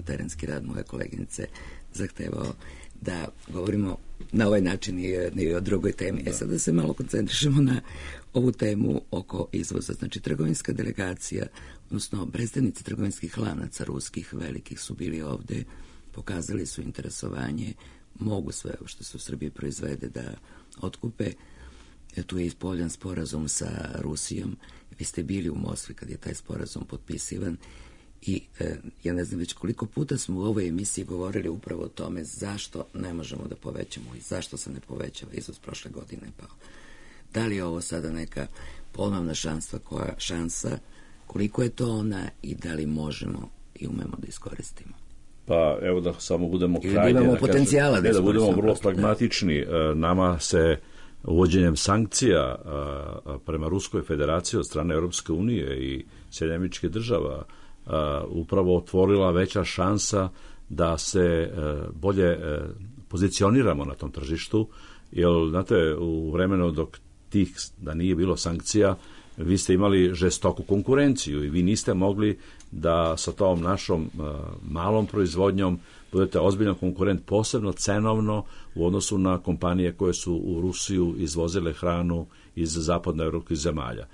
terenski rad moje koleginice zahtevao da govorimo na ovaj način i o drugoj temi. Sada se malo koncentrišemo na ovu temu oko izvoza. Znači, trgovinska delegacija, odnosno predstavnici trgovinskih lanaca ruskih velikih su bili ovde, pokazali su interesovanje, mogu sve što se u Srbiji proizvede da otkupe. Tu je ispoljan sporazum sa Rusijom. Vi ste bili u Moskvi kad je taj sporazum potpisivan i ja ne znam već koliko puta smo u ovoj emisiji govorili upravo o tome zašto ne možemo da povećamo i zašto se ne povećava izvoz prošle godine. Pa da li je ovo sada neka ponovna šansa, koliko je to ona i da li možemo i umemo da iskoristimo? Pa evo da samo budemo krajnje, da imamo potencijala da budemo vrlo pragmatični. Nama se uvođenjem sankcija prema Ruskoj federaciji od strane Europske unije i Sjedinjenih Američkih Država upravo otvorila veća šansa da se bolje pozicioniramo na tom tržištu, jer znate, u vremenu da nije bilo sankcija, vi ste imali žestoku konkurenciju i vi niste mogli da sa tom našom malom proizvodnjom budete ozbiljan konkurent, posebno cenovno u odnosu na kompanije koje su u Rusiju izvozile hranu iz zapadnoevropskih zemalja.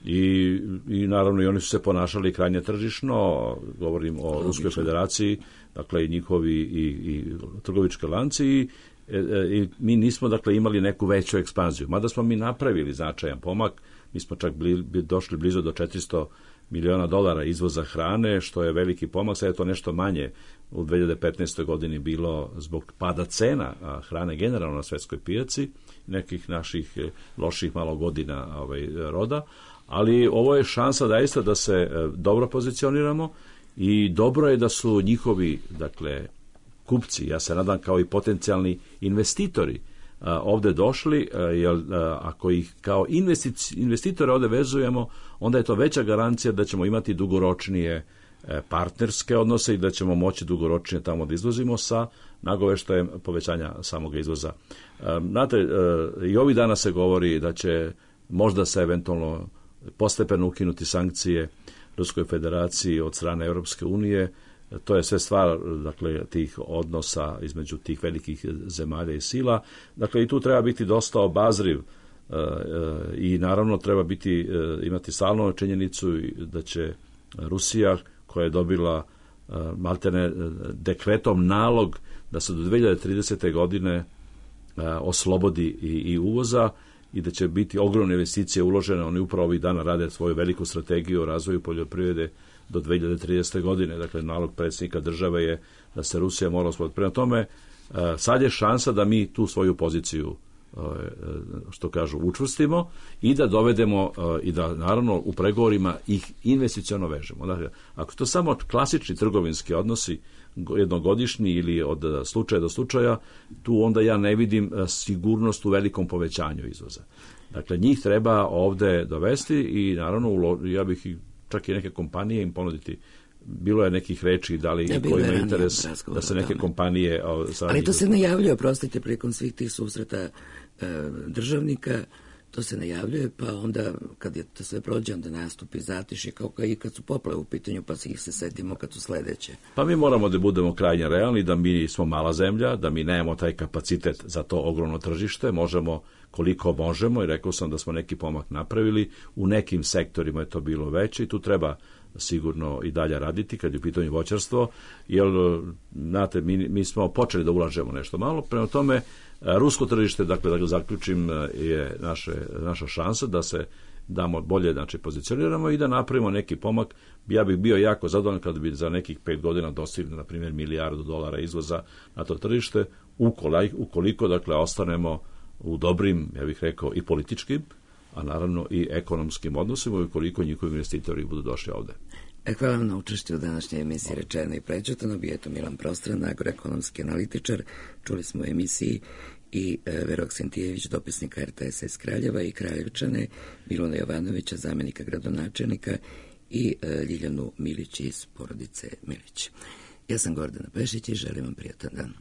I naravno i oni su se ponašali krajnje tržišno, govorim o Ruskoj federaciji, dakle i njihovi i trgovički lanci i mi nismo dakle imali neku veću ekspanziju. Mada smo mi napravili značajan pomak, mi smo čak došli blizu do $400 miliona izvoza hrane, što je veliki pomak, sad je to nešto manje u 2015. godini bilo zbog pada cena hrane generalno na svetskoj pijaci, nekih naših loših malo godina roda, ali ovo je šansa zaista da se dobro pozicioniramo i dobro je da su njihovi, dakle, kupci, ja se nadam kao i potencijalni investitori, ovde došli, jer ako ih kao investitore ovde vezujemo, onda je to veća garancija da ćemo imati dugoročnije partnerske odnose i da ćemo moći dugoročnije tamo da izvozimo sa nagoveštajem povećanja samog izvoza. Znate, i ovih dana se govori da će možda se eventualno postepeno ukinuti sankcije Ruskoj federaciji od strane Europske unije. To je sve stvar, dakle, tih odnosa između tih velikih zemalja i sila. Dakle, i tu treba biti dosta obazriv i naravno treba imati stalnu činjenicu da će Rusija, koja je dobila maltene dekretom nalog da se do 2030. godine oslobodi i uvoza i da će biti ogromne investicije uložene. Oni upravo ovih dana rade svoju veliku strategiju o razvoju poljoprivrede do 2030. godine. Dakle, nalog predsjednika države je da se Rusija mora osloboditi. Prema tome, sad je šansa da mi tu svoju poziciju, što kažu, učvrstimo i da dovedemo i da naravno u pregovorima ih investiciono vežemo. Dakle, ako to samo klasični trgovinski odnosi jednogodišnji ili od slučaja do slučaja, tu onda ja ne vidim sigurnost u velikom povećanju izvoza. Dakle, njih treba ovde dovesti i naravno ja bih čak i neke kompanije im ponuditi. Bilo je nekih reči da li ko ima interes da se neke kompanije... Ali to se najavljuje, prostite, prilikom svih tih susreta državnika, to se najavljuje, pa onda kad je to sve prođe, onda nastupi zatišje, kao i kad su poplave u pitanju, pa ih se setimo kad su sledeće. Pa mi moramo da budemo krajnje realni, da mi smo mala zemlja, da mi nemamo taj kapacitet za to ogromno tržište, možemo koliko možemo i rekao sam da smo neki pomak napravili, u nekim sektorima je to bilo veće i tu treba sigurno i dalje raditi kad je u pitanju voćarstvo, jer, znate, mi smo počeli da ulažemo nešto malo, prema tome, rusko tržište, dakle, da ga zaključim, je naša šansa da se damo bolje, znači, pozicioniramo i da napravimo neki pomak. Ja bih bio jako zadovoljan kada bi za nekih 5 godina dostigli, na primjer, $1 milijardu izvoza na to tržište, ukoliko, dakle, ostanemo u dobrim, ja bih rekao, i političkim, a naravno i ekonomskim odnosima, i ukoliko njihovi investitori budu došli ovde. Hvala vam na učešću u današnjoj emisiji Rečeno i prečutano. Bio je to Milan Prostran, agroekonomski analitičar. Čuli smo u emisiji i Verok Sintijević, dopisnika RTS iz Kraljeva, i Kraljevčane, Miluna Jovanovića, zamenika gradonačelnika, i Ljiljanu Milić iz porodice Milić. Ja sam Gordana Pešić i želim vam prijatan dan.